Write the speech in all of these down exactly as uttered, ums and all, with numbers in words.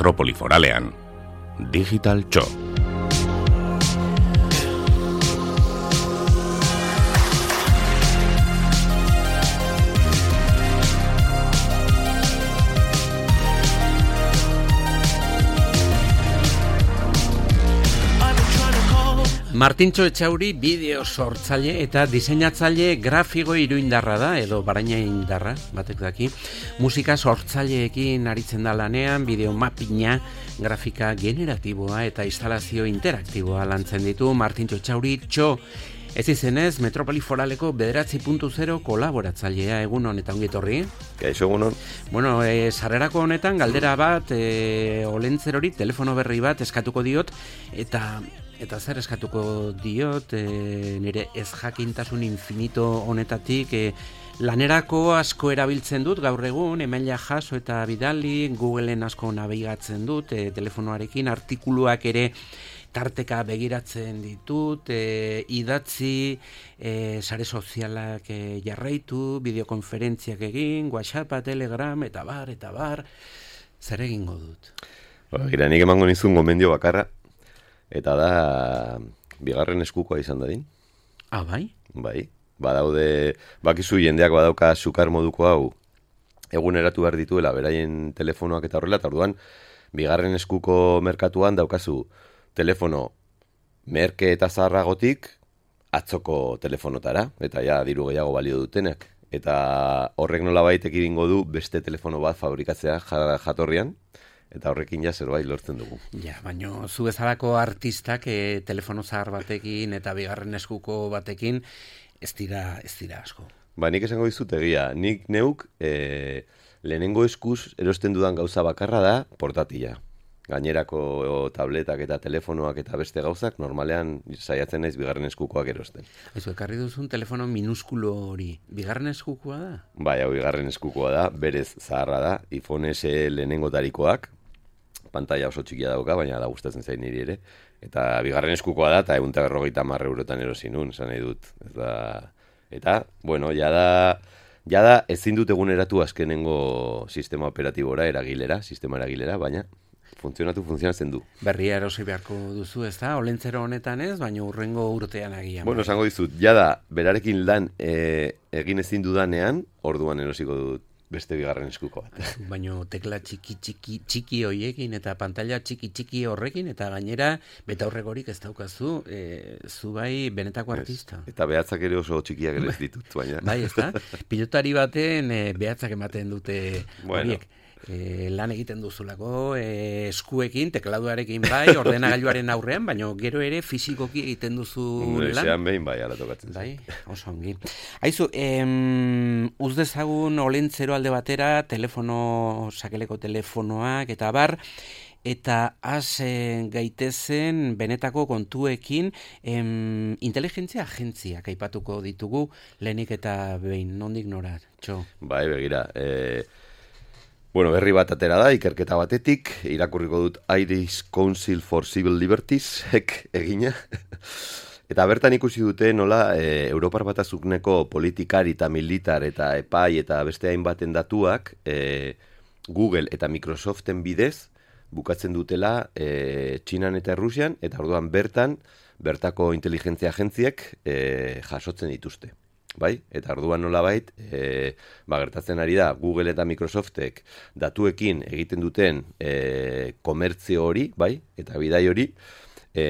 Metropoli Foralean, Digital Txo. Martintxo Etxauri bideo sortzaile eta diseinatzaile grafiko iruindarra da, edo baraina indarra, batek daki. Musika sortzaileekin aritzen da lanean, bideo mappinga, grafika generatiboa eta instalazio interaktiboa lantzen ditu Martintxo Etxauri Txo. Ez izenez, Metropoli Foraleko bederatzi puntu zero kolaboratzailea, egun honetan ongitorri. Gaixo, egun hon. Bueno, e, sarrerako honetan galdera bat, e, olentzerori telefono berri bat eskatuko diot, eta... Eta zer eskatuko diot, e, nire ez jakintasun infinito honetatik, e, lanerako asko erabiltzen dut gaur egun, emaila jaso eta bidali, Googleen asko nabigatzen dut, e, telefonoarekin, artikuluak ere tarteka begiratzen ditut, e, idatzi, e, sare sozialak e, jarraitu, bideokonferentziak egin, WhatsAppa, Telegram, eta bar, eta bar, zer egingo dut? Ba, gira, nik emango nizun gomendio bakarra, eta da, bigarren eskukoa izan dadin. Ah, bai? Bai, badaude, bakizu jendeak badauka sukar moduko hau, eguneratu behar dituela, beraien telefonoak eta horrela, eta orduan, bigarren eskuko merkatuan daukazu telefono merke eta zaharragotik, atzoko telefonotara, eta ja, diru gehiago balio dutenak. Eta horrek nolabait ekidingo du beste telefono bat fabrikatzea jatorrian, eta horrekin ja zerbait lortzen dugu. Ja, baina zu bezalako artistak e, telefono zahar batekin eta bigarren eskuko batekin ez dira, ez dira asko. Ba, nik esango dizut egia. Nik neuk e, lehenengo eskuz erosten dudan gauza bakarra da portatila. Gainerako tabletak eta telefonoak eta beste gauzak normalean saiatzen naiz bigarren eskukoak erosten. Aizu, ekarri duzun telefono minuskulo hori, bigarren eskukoa da? Bai, hau bigarren eskukoa da, berez zaharra da, iPhone S lehenengo tarikoak, pantalla oso txikia dauka, baina da gustatzen zain niri ere. Eta bigarren eskukoa da, eta egun eta berrogeita hamar eurotan erosi nun, esan nahi dut. Eta, eta bueno, jada, jada ezin dut eguneratu azkenengo sistema operatibora, eragilera, sistema eragilera, baina funtzionatu funtzionatzen du. Berria erosi beharko duzu, ez da? Olentzero honetan ez, baina urrengo urtean agian. Bueno, esango dizut, jada, berarekin lan e, egin ezin dudanean, orduan erosiko dut beste bigarren eskuko bat. Baina tekla txiki txiki txiki horiekin eta pantalla txiki txiki horrekin eta gainera betaurregorik ez daukazu, e, zu bai benetako artista. Eta behatzak ere oso txikiak ere ez ditut, baina. Bai, ez da? Pilotari baten e, behatzak ematen dute bueno. horiek. E, lan egiten duzulako e, eskuekin, tekladuarekin bai, ordenagailuaren aurrean, baina gero ere fisikoki egiten duzu lan. Ezean behin bai, ala tokatzen. Bai, oso ongi. Aizu, em, uz dezagun olentzero alde batera, telefono, sakeleko telefonoak eta bar, eta has e, gaitezen benetako kontuekin em, inteligentzia agentziak aipatuko ditugu lehenik eta behin, nondik nora, Txo? Bai, begira, e... Bueno, berri bat atera da, ikerketa batetik, irakurriko dut Irish Council for Civil Liberties, ek egina. Eta bertan ikusi dute nola e, Europar Batasunteko politikari eta militar eta epai eta beste hainbaten datuak e, Google eta Microsoften bidez bukatzen dutela e, Txinan eta Errusian, eta orduan bertan, bertako inteligentzia agentziek e, jasotzen dituzte. Bai? Eta orduan nolabait, e, ba, gertatzen ari da, Google eta Microsoftek datuekin egiten duten e, komertzio hori, bai? Eta bidai hori, e,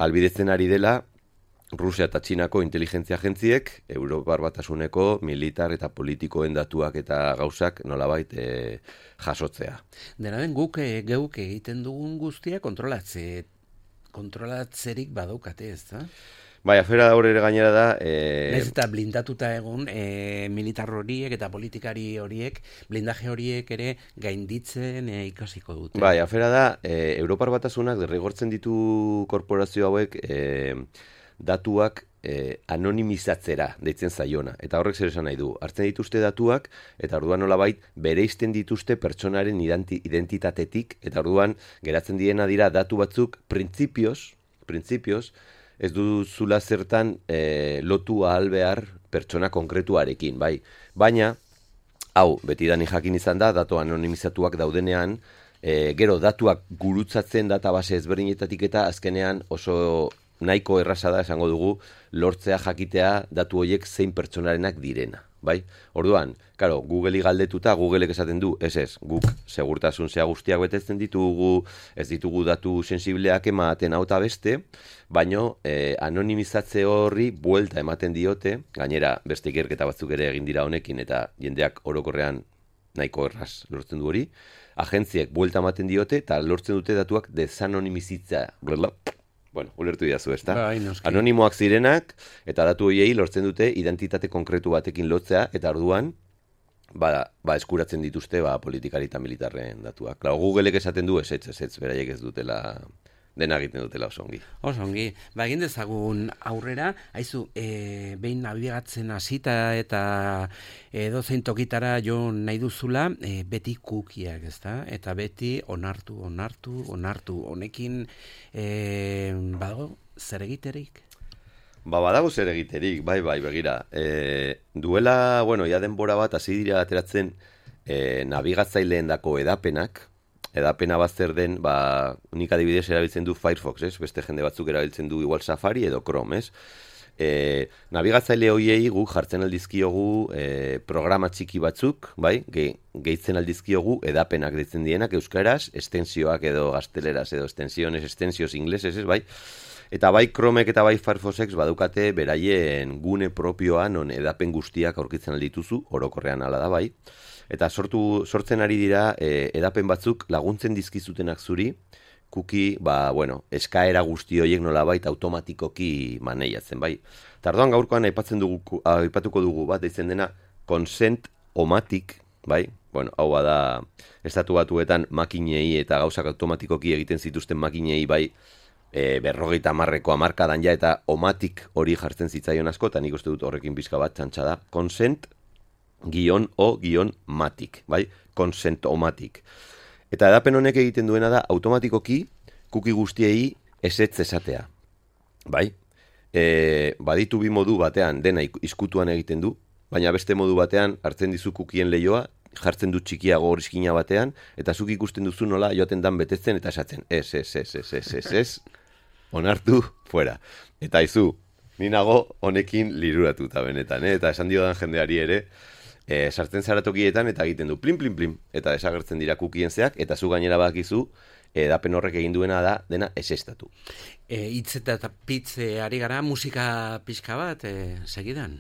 albidetzen ari dela Rusia eta Txinako inteligentzia agentziek, Europar Batasuneko militar eta politikoen datuak eta gauzak nolabait e, jasotzea. Dena den guk e, geuk egiten dugun guztia kontrolatze, kontrolatzerik badaukate, ez da? Bai, afera horre gainera da... E... Naiz eta blindatuta egun e, militar horiek eta politikari horiek, blindaje horiek ere gainditzen e, ikasiko dute. Bai, afera da, e, Europar Batasunak derrigortzen ditu korporazio hauek e, datuak e, anonimizatzera deitzen zaiona. Eta horrek zer esan nahi du. Hartzen dituzte datuak, eta orduan nolabait bereizten dituzte pertsonaren identitatetik, eta orduan geratzen diena dira datu batzuk printzipioz, printzipioz, ez duzula zertan e, lotu ahal behar pertsona konkretuarekin, bai. Baina, hau, betidanik jakin izan da, datu anonimizatuak daudenean, e, gero datuak gurutzatzen database ezberdinetatik eta azkenean oso nahiko erraza da esango dugu lortzea jakitea datu horiek zein pertsonarenak direna, bai? Orduan, claro, Googleri galdetuta Googleek esaten du, ez ez, guk segurtasun zea guztiak betetzen ditugu, ez ditugu datu sensibleak ematen hau eta beste, baino eh, anonimizatze horri buelta ematen diote, gainera beste ikerketa batzuk ere egin dira honekin eta jendeak orokorrean nahiko erraz lortzen du hori, agentziek buelta ematen diote eta lortzen dute datuak desanonimizitza, bueno, ulertu didazu, ezta? Bai, anonimoak zirenak, eta datu horiei lortzen dute identitate konkretu batekin lotzea, eta orduan, ba, ba eskuratzen dituzte ba, politikari eta militarren datuak. Klar, Googleek esaten du, ez ez, ez, ez, beraiek ez dutela, dena egiten dutela oso ongi. Oso ongi. Ba, egin dezagun aurrera, haizu, e, behin nabigatzen hasita eta edozein tokitara jo nahi duzula, e, beti kukiak, ezta? Eta beti onartu, onartu, onartu. Honekin, e, badago, zer egiterik? Ba, badago zer egiterik, bai, bai, begira. E, duela, bueno, ja denbora bat, hasi dira ateratzen e, nabigatzaileen dako edapenak, edapena bat zer den, ba, nik adibidez erabiltzen du Firefox, ez? Beste jende batzuk erabiltzen du igual Safari edo Chrome, ez? E, nabigatzaile hoiei gu jartzen aldizkiogu e, programa txiki batzuk, bai? Ge, gehitzen aldizkiogu edapenak deitzen dienak euskaraz, estensioak edo gazteleraz edo estensiones, estensios ingleses, ez, bai? Eta bai Chromek eta bai Firefoxek badukate beraien gune propioa non edapen guztiak aurkitzen aldituzu, orokorrean hala da bai. Eta sortu, sortzen ari dira e, edapen batzuk laguntzen dizkizutenak zuri, kuki, ba, bueno, eskaera guzti horiek nolabait automatikoki maneiatzen, bai. Tardoan gaurkoan aipatzen dugu, aipatuko dugu bat, deitzen dena consent-o-matic, bai. Bueno, hau da, estatu batuetan makinei eta gauzak automatikoki egiten zituzten makinei, bai, e, berrogeita hamarreko hamarkadan ja, eta omatik hori jartzen zitzaion asko, eta nik uste dut horrekin pizka bat txantxa da, consent guion o guion matic, bai? Consent-o-matic. Eta edapen honek egiten duena da automatikoki kuki guztiei ezetz esatea. Bai? E, baditu bi modu batean dena izkutuan egiten du, baina beste modu batean hartzen dizu kukien leioa, jartzen du txikiago horiskina batean, eta zuk ikusten duzu nola joaten dan betetzen eta esatzen. Ez, ez, ez, ez, ez, ez, ez, onartu, fuera. Eta izu, ninago honekin liruratuta benetan, eh? Eta esan diodan jendeari ere, E, sartzen zara tokietan eta egiten du plim, plim, plim, eta desagertzen dira kukien zeak, eta zu gainera bakizu, edapen horrek egin duena da, dena esestatu. E, hitz eta pitze ari gara, musika pixka bat, e, segidan?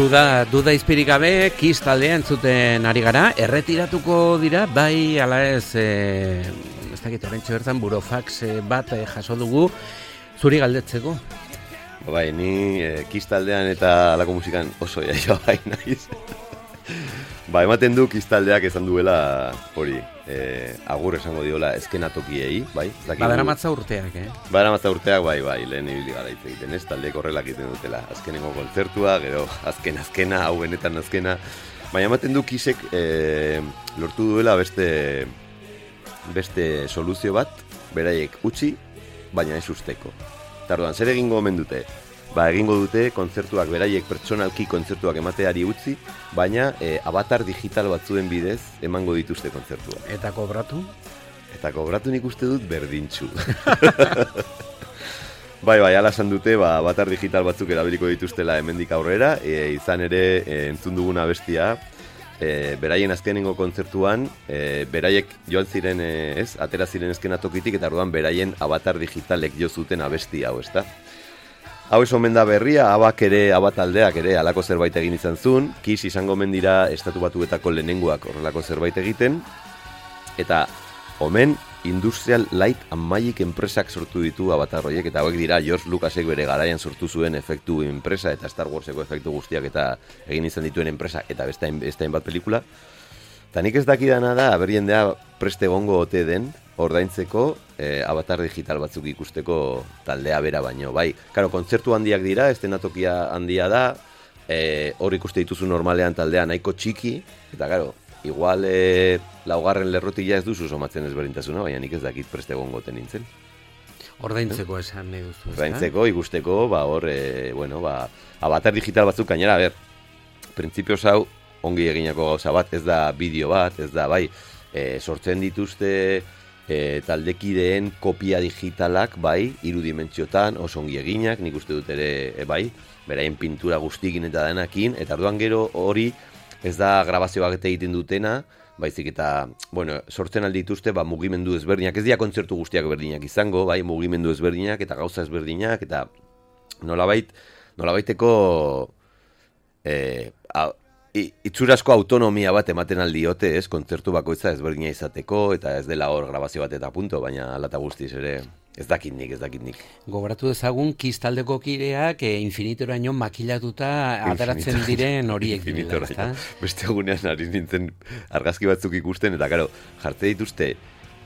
Duda, duda izpirik gabe, Kiss taldea entzuten ari gara, erretiratuko dira, bai, ala ez, e, ez dakit, orentxo bertan, burofax bat e, jaso dugu, zuri galdetzeko. Bai, ni e, Kiss taldean eta alako musikan oso jaio bai naiz. Ba, ematen du Kiss taldeak esan duela hori, e, agur esango diola eskenatokiei, bai? Ba, dara matza urteak, eh? Ba, dara matza urteak, bai, bai, lehen ibili gara hitz egiten, ez? Taldeek horrelak egiten dutela, azkenengo kontzertua, gero azken azkena, hau benetan azkena. Baina ematen du Kissek e, lortu duela beste, beste soluzio bat, beraiek utzi, baina ez usteko. Tardoan, zer egingo omen dute? Ba, egingo dute kontzertuak beraiek pertsonalki kontzertuak emateari utzi, baina e, avatar digital batzuen bidez emango dituzte kontzertuak. Eta kobratu? Eta kobratu nik uste dut berdintxu. Bai, bai, ala esan dute, ba, avatar digital batzuk erabiliko dituztela hemendik aurrera, e, izan ere e, entzun duguna bestia, e, beraien azkenengo kontzertuan, e, beraiek joan ziren, e, ez, atera ziren eskenatokitik, eta orduan beraien avatar digitalek jo zuten abesti hau, ezta? Hau ez omen da berria, abak ere, abataldeak ere, alako zerbait egin izan zuen, Kiss izango mendira estatu batuetako lehenengoak horrelako zerbait egiten, eta omen Industrial Light and Magic enpresak sortu ditu avatar horiek, eta hauek dira George Lucasek bere garaian sortu zuen efektu enpresa, eta Star Warseko efektu guztiak eta egin izan dituen enpresa, eta beste hainbat pelikula. Eta nik ez dakidana da, aber jendea preste egongo ote den, ordaintzeko eh, avatar digital batzuk ikusteko taldea bera baino. Bai, karo, kontzertu handiak dira, estenatokia handia da, eh, hor ikuste dituzu normalean taldea nahiko txiki, eta karo, igual eh, laugarren lerrotik ja ez duzu somatzen ezberdintasuna, baina nik ez dakit preste egongo ote nintzen. Ordaintzeko esan nahi duzu. Ordaintzeko, ikusteko, ba hor, e, bueno, ba, avatar digital batzuk gainera, a ber, printzipioz hau, ongi eginako gauza bat, ez da bideo bat, ez da, bai, e, sortzen dituzte e, taldekideen kopia digitalak, bai, hiru dimentsiotan, oso ongi eginak, nik uste dut ere, e, bai, beraien pintura guztikin eta denakin, eta orduan gero hori ez da grabazioak eta egiten dutena, baizik eta, bueno, sortzen aldituzte, ba, mugimendu ezberdinak, ez dira kontzertu guztiak berdinak izango, bai, mugimendu ezberdinak eta gauza ezberdinak, eta nolabait, nolabaiteko eh, a, itxurasko autonomia bat ematen aldiote, ez, kontzertu bakoitza ezberdina izateko, eta ez dela hor grabazio bat eta punto, baina alata guztiz ere, ez dakit nik, ez dakit nik. Gogoratu dezagun, Kiss taldeko kideak e, infinitoraino makilatuta ateratzen diren horiek direla, ezta? Beste egunean ari nintzen argazki batzuk ikusten, eta karo, jarte dituzte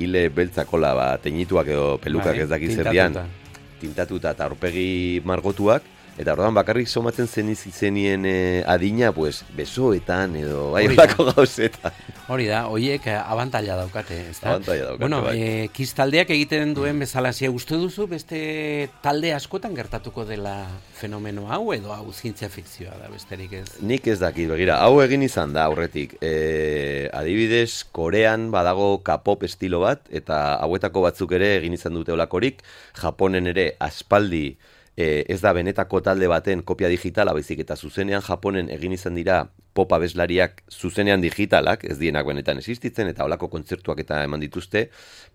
hile beltzakola, ba, teñituak edo pelukak bai, ez dakit zerdian, tintatuta eta aurpegi margotuak, eta orduan bakarrik somatzen zen izenien e, adina, pues, besoetan edo bai bako gauzetan. Hori da, horiek abantaila daukate, ez da? Abantaila daukate, bueno, bai. E, Kiss taldeak egiten duen bezalasia uste duzu, beste talde askotan gertatuko dela fenomeno hau, edo hau zientzia fikzioa da, besterik ez? Nik ez dakit, begira, hau egin izan da aurretik. E, adibidez, Korean badago K-pop estilo bat, eta hauetako batzuk ere egin izan dute olakorik, Japonen ere aspaldi, E, ez da benetako talde baten kopia digitala, baizik eta zuzenean Japonen egin izan dira pop abeslariak zuzenean digitalak, ez dienak benetan existitzen, eta holako kontzertuak eta eman dituzte,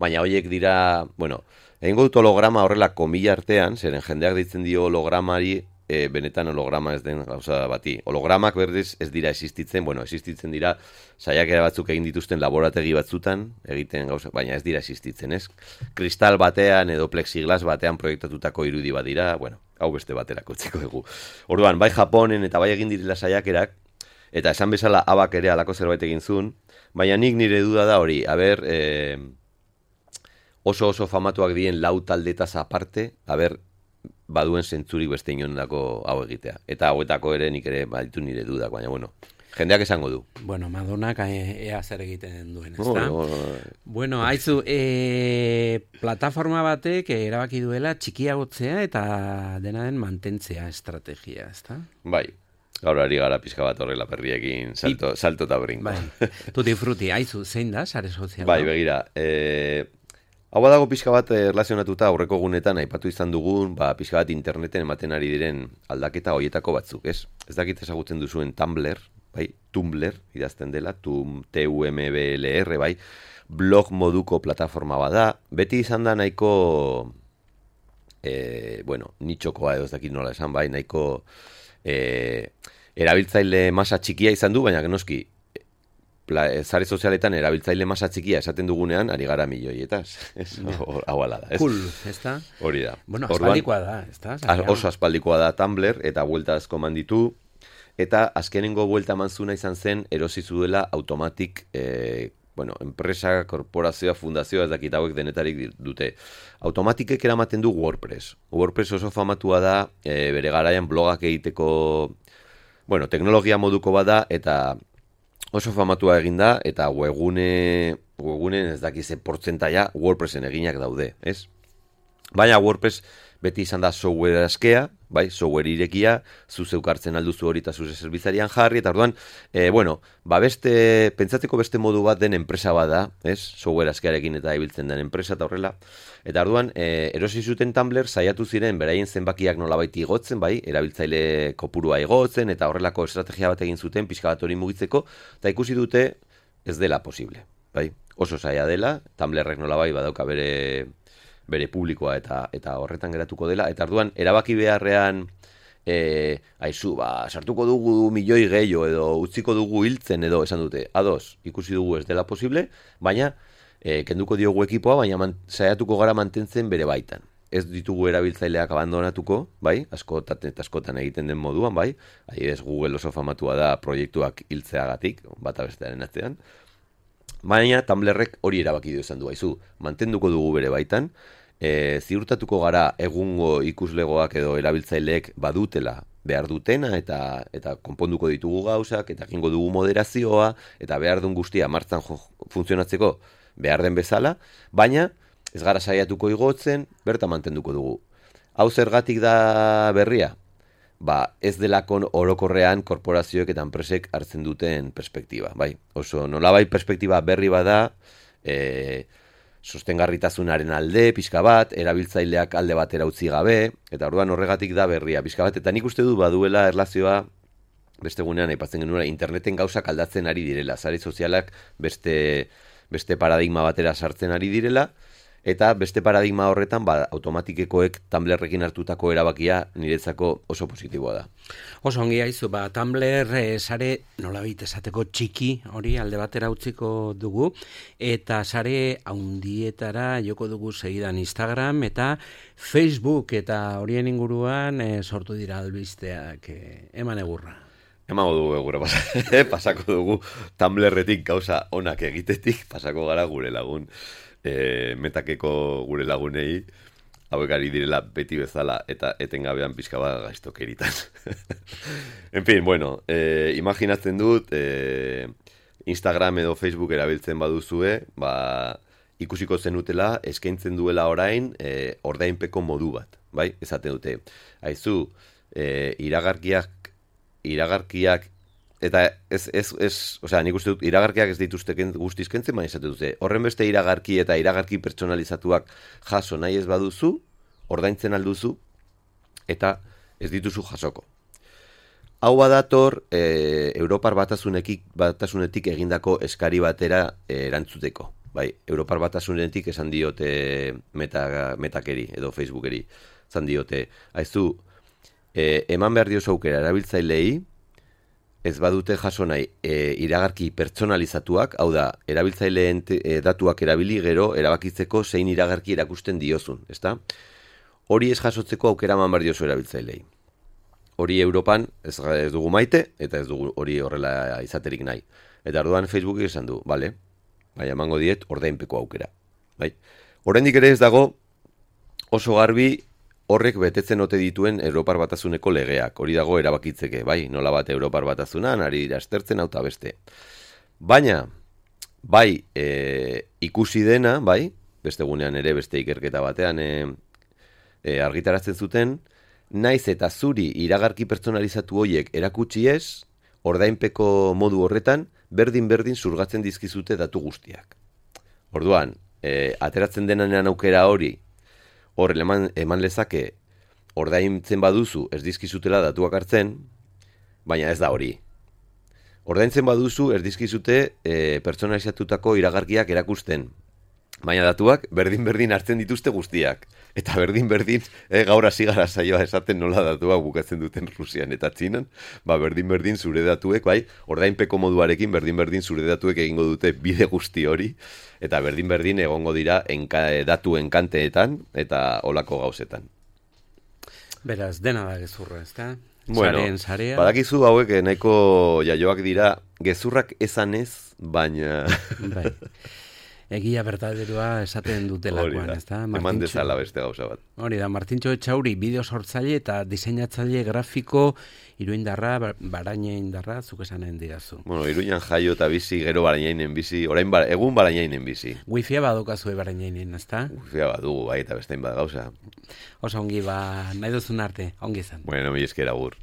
baina horiek dira, bueno, egingo dut holograma horrela komila artean, zeren jendeak ditzen dio hologramari, e, benetan holograma ez den gauza bati. Hologramak berdez ez dira existitzen, bueno, existitzen dira saiakera batzuk egin dituzten laborategi batzutan, egiten gauza, baina ez dira existitzen, ez? Kristal batean edo plexiglas batean proiektatutako irudi bat dira, bueno, hau beste baterako txiko dugu. Orduan, bai Japonen eta bai egin direla saiakerak, eta esan bezala abak ere alako zerbait egin zuen, baina nik nire duda da hori, a ber, eh, oso oso famatuak dien lau taldetaz aparte, a ber, baduen zentzurik beste inonako hau egitea. Eta hauetako ere nik ere baditu nire dudak, baina bueno, jendeak esango du. Bueno, Madonak ea zer egiten duen, ezta? No, no, no. Bueno, haizu, e, plataforma batek erabaki duela txikiagotzea eta dena den mantentzea estrategia, ezta? Bai. Gaur ari gara pixka bat horrela perriekin salto, salto eta brinko. Bai. Tutti frutti, haizu, zein da, sare soziala? Bai, begira, e, hau badago pixka bat erlazionatuta aurreko gunetan aipatu izan dugun, ba, pixka bat interneten ematen ari diren aldaketa hoietako batzuk, ez? Ez dakit ezagutzen duzuen Tumblr, bai, Tumblr, idazten dela, tum, T U M B L R, bai, blog moduko plataforma bada, beti izan da nahiko, e, bueno, nitxokoa edo ez dakit nola esan, bai, nahiko e, erabiltzaile masa txikia izan du, baina genoski, zare sozialetan erabiltzaile masa txikia esaten dugunean, ari gara milioietaz. Hau ala da, ez? Cool, ez da? Hori da. Bueno, aspaldikoa da, ez da? Oso aspaldikoa da Tumblr, eta buelta asko manditu, eta azkenengo buelta manzuna izan zen, erosi zuela automatik, e, bueno, enpresa, korporazioa, fundazioa, ez dakit hauek denetarik dute. Automatikek eramaten du WordPress. WordPress oso famatua da, e, bere garaian blogak egiteko, bueno, teknologia moduko bada, eta oso famatua egin da, eta webgune, webgune ez dakize portzentaia WordPressen eginak daude, ez? Baina WordPress beti izan da software askea, bai, software irekia, zu zeukartzen alduzu hori eta zuze zerbizarian jarri, eta orduan, e, bueno, ba beste, pentsatzeko beste modu bat den enpresa bada, ez? Software askearekin eta ibiltzen den enpresa eta horrela. Eta orduan, e, erosi zuten Tumblr saiatu ziren beraien zenbakiak nolabait igotzen, bai, erabiltzaile kopurua igotzen, eta horrelako estrategia bat egin zuten pixka bat hori mugitzeko, eta ikusi dute ez dela posible, bai? Oso zaila dela, Tumblrrek nolabait badauka bere bere publikoa eta eta horretan geratuko dela, eta orduan erabaki beharrean e, aizu, ba, sartuko dugu milioi gehiago edo utziko dugu hiltzen edo esan dute, ados, ikusi dugu ez dela posible, baina e, kenduko diogu ekipoa, baina man, saiatuko gara mantentzen bere baitan. Ez ditugu erabiltzaileak abandonatuko, bai, askotan eta askotan egiten den moduan, bai, adibidez Google oso famatua da proiektuak hiltzeagatik, bata bestearen atzean, baina Tumblrrek hori erabaki du esan du, aizu, mantenduko dugu bere baitan, E, ziurtatuko gara egungo ikuslegoak edo erabiltzaileek badutela behar dutena eta eta konponduko ditugu gauzak eta egingo dugu moderazioa eta behar duen guztia martzan jo, funtzionatzeko behar den bezala, baina ez gara saiatuko igotzen, berta mantenduko dugu. Hau zergatik da berria? Ba, ez delako orokorrean korporazioek eta enpresek hartzen duten perspektiba, bai. Oso nolabait perspektiba berri bada, eh sostengarritasunaren alde, pixka bat, erabiltzaileak alde batera utzi gabe, eta orduan horregatik da berria, pixka bat, eta nik uste du baduela erlazioa, beste gunean aipatzen genuen, interneten gauzak aldatzen ari direla, sare sozialak beste, beste paradigma batera sartzen ari direla, eta beste paradigma horretan, ba, automatikekoek Tumblrrekin hartutako erabakia niretzako oso positiboa da. Oso ongi haizu, ba, Tumblr e, sare nolabait esateko txiki hori alde batera utziko dugu, eta sare haundietara joko dugu segidan Instagram eta Facebook, eta horien inguruan e, sortu dira albisteak, e, eman egurra. Emago dugu egurra, pasako dugu Tumblrretik gauza onak egitetik, pasako gara gure lagun. E, metakeko gure lagunei hauek ari direla beti bezala eta etengabean pixka bat gaiztokeritan. En fin, bueno, e, imaginatzen dut e, Instagram edo Facebook erabiltzen baduzue, ba, ikusiko zenutela eskaintzen duela orain e, ordainpeko modu bat, bai? Esaten dute, aizu, e, iragarkiak iragarkiak eta ez, ez, ez, osea, nik uste dut, iragarkiak ez dituzte guztiz kentzen, baina esate dute, horren beste iragarki eta iragarki pertsonalizatuak jaso nahi ez baduzu, ordaintzen alduzu, eta ez dituzu jasoko. Hau badator, e, Europar batasunetik, batasunetik egindako eskari batera e, erantzuteko. Bai, Europar batasunetik esan diote meta, metakeri edo Facebookeri, esan diote, aizu, e, eman behar diozu aukera erabiltzailei, ez badute jaso nahi e, iragarki pertsonalizatuak, hau da, erabiltzaileen e, datuak erabili gero erabakitzeko zein iragarki erakusten diozun, ezta? Hori ez jasotzeko aukera eman behar diozu erabiltzailei. Hori Europan ez, ez dugu maite, eta ez dugu hori horrela izaterik nahi. Eta orduan Facebookek esan du, bale, baina emango diet ordainpeko aukera. Bai? Oraindik ere ez dago oso garbi horrek betetzen ote dituen Europar Batasuneko legeak. Hori dago erabakitzeke, bai, nola bat Europar Batasunan, ari astertzen auta beste. Baina, bai, e, ikusi dena, bai, beste gunean ere, beste ikerketa batean e, e, argitaratzen zuten, naiz eta zuri iragarki pertsonalizatu horiek erakutsi ez, ordainpeko modu horretan, berdin-berdin zurgatzen dizkizute datu guztiak. Orduan, e, ateratzen denanean aukera hori, hor eman, eman lezake ordaintzen baduzu ez dizkizutela datuak hartzen, baina ez da hori. Ordaintzen baduzu ez dizkizute e, pertsonalizatutako iragarkiak erakusten, baina datuak berdin-berdin hartzen dituzte guztiak. Eta berdin-berdin, e, gaur hasi gara saioa esaten nola datuak bukatzen duten Rusian eta Txinan, ba berdin-berdin zure datuek, bai, ordainpeko moduarekin berdin-berdin zure datuek egingo dute bide guzti hori, eta berdin-berdin egongo dira enka, datu enkanteetan eta olako gauzetan. Beraz, dena da gezurra, ezta? Bueno, Sarea. Badakizu hauek nahiko jaioak dira gezurrak esan ez, baina... Bai. Egia bertaderua esaten dutelakoan, ez da? Eman dezala beste gauza bat. Hori da, Martintxo Etxauri, bideo sortzaile eta diseinatzaile grafiko, Iruindarra, Barainaindarra, zuk esanen didazu. Bueno, Iruinan jaio eta bizi, gero Barainainen bizi, orain ba, egun Barainainen bizi. Wifia badokazue Barainainen, ez da? Wifia badugu, bai, eta bestein bat gauza. Osa ongi, ba, nahi duzun arte, ongi izan. Bueno, mi esker agur.